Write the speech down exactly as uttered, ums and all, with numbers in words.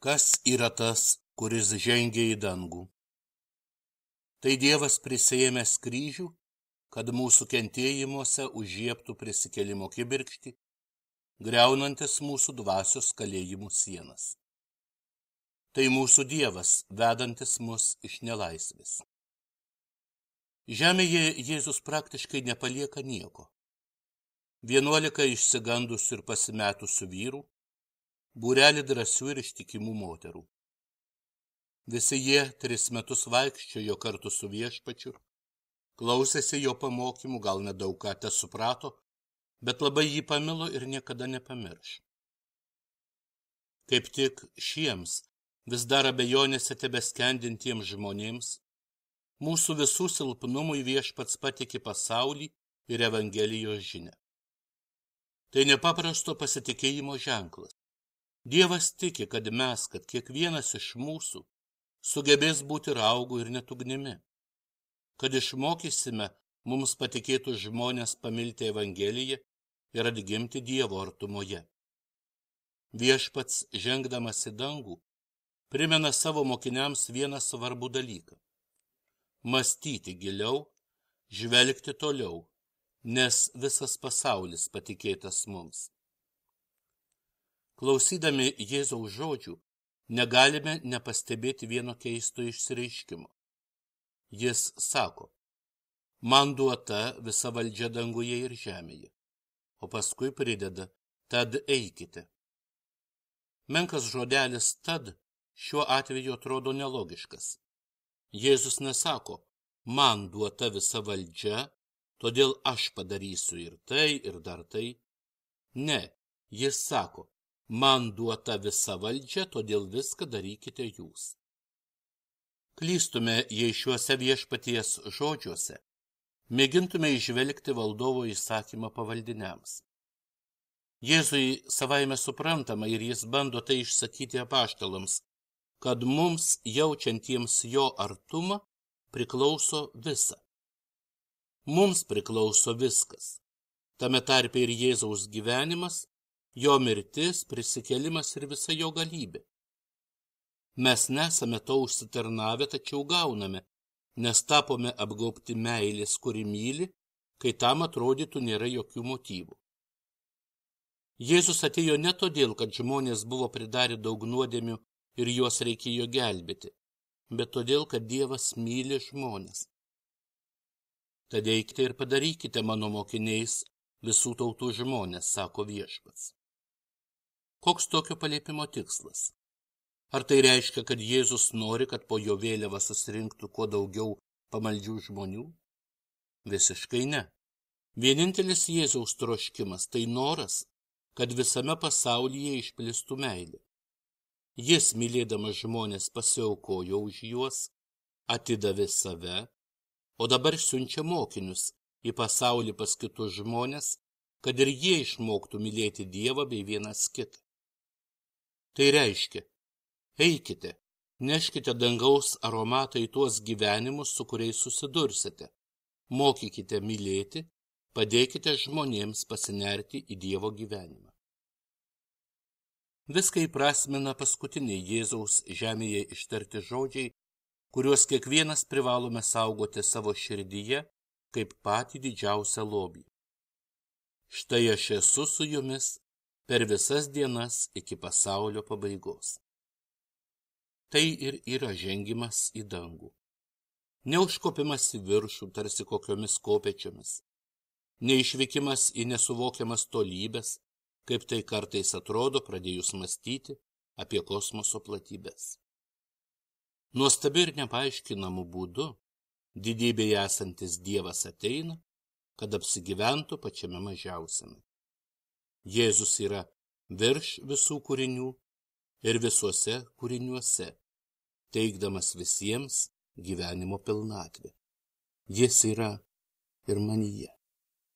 Kas yra tas, kuris žengia į dangų? Tai Dievas prisiėmęs kryžių, kad mūsų kentėjimuose užžiebtų prisikėlimo kibirkštį, griaunantis mūsų dvasios kalėjimų sienas. Tai mūsų Dievas, vedantis mus iš nelaisvės. Žemėje Jėzus praktiškai nepalieka nieko. Vienuolika išsigandusių ir pasimetusių vyrų, būrelį drąsių ir ištikimų moterų. Visi jie tris metus vaikščiojo kartu su Viešpačiu, klausėsi jo pamokymų, gal nedaug ką te suprato, bet labai jį pamilo ir niekada nepamirš. Kaip tik šiems vis dar abejonėse tebeskendintiems žmonėms, mūsų visų silpnumui Viešpats patikė pasaulį ir Evangelijos žinią. Tai nepaprasto pasitikėjimo ženklas. Dievas tiki, kad mes, kad kiekvienas iš mūsų sugebės būti raugu ir net ugnimi, kad išmokysime mums patikėtų žmonės pamilti Evangeliją ir atgimti Dievo artumoje. Viešpats, žengdamas į dangų, primena savo mokiniams vieną svarbų dalyką – mąstyti giliau, žvelgti toliau, nes visas pasaulis patikėtas mums. Klausydami Jėzaus žodžių, negalime nepastebėti vieno keisto išsireiškimo. Jis sako, man duota visa valdžia danguje ir žemėje, o paskui prideda, tad eikite. Menkas žodelis tad šiuo atveju atrodo nelogiškas. Jėzus nesako, man duota visa valdžia, todėl aš padarysiu ir tai, ir dar tai. Ne, jis sako, man duota visa valdžia, todėl viską darykite jūs. Klystume, jei šiuose Viešpaties žodžiuose mėgintume įžvelgti valdovo įsakymą pavaldiniams. Jėzui savaime suprantama ir jis bando tai išsakyti apaštalams, kad mums jaučiantiems jo artumą priklauso visa. Mums priklauso viskas, tame tarpe ir Jėzaus gyvenimas, jo mirtis, prisikėlimas ir visa jo galybė. Mes nesame to užsitarnavę, tačiau gauname, nes tapome apgaubti meilės, kuri myli, kai tam atrodytų nėra jokių motyvų. Jėzus atėjo ne todėl, kad žmonės buvo pridarę daug nuodėmių ir juos reikėjo gelbėti, bet todėl, kad Dievas myli žmonės. Tad eikite ir padarykite mano mokiniais visų tautų žmonės, sako Viešpats. Koks tokio paliepimo tikslas? Ar tai reiškia, kad Jėzus nori, kad po jo vėliava susirinktų kuo daugiau pamaldžių žmonių? Visiškai ne. Vienintelis Jėzaus troškimas tai noras, kad visame pasaulyje išplistų meilė. Jis, mylėdamas žmonės, pasiaukojo už juos, atidavė save, o dabar siunčia mokinius į pasaulį pas kitus žmonės, kad ir jie išmoktų mylėti Dievą bei vienas kitą. Tai reiškia, eikite, neškite dangaus aromatą į tuos gyvenimus, su kuriais susidursite, mokykite mylėti, padėkite žmonėms pasinerti į Dievo gyvenimą. Viską įprasmina paskutiniai Jėzaus žemėje ištarti žodžiai, kuriuos kiekvienas privalome saugoti savo širdyje kaip patį didžiausią lobį. Štai aš esu su jumis per visas dienas iki pasaulio pabaigos. Tai ir yra žengimas į dangų. Neužkopimas į viršų tarsi kokiomis kopėčiomis, neišvykimas į nesuvokiamas tolybes, kaip tai kartais atrodo pradėjus mąstyti apie kosmoso platybes. Nuostabi ir nepaaiškinamų būdų didybėje esantis Dievas ateina, kad apsigyventų pačiame mažiausiame. Jėzus yra virš visų kūrinių ir visuose kūriniuose, teikdamas visiems gyvenimo pilnatvę. Jis yra ir manyje.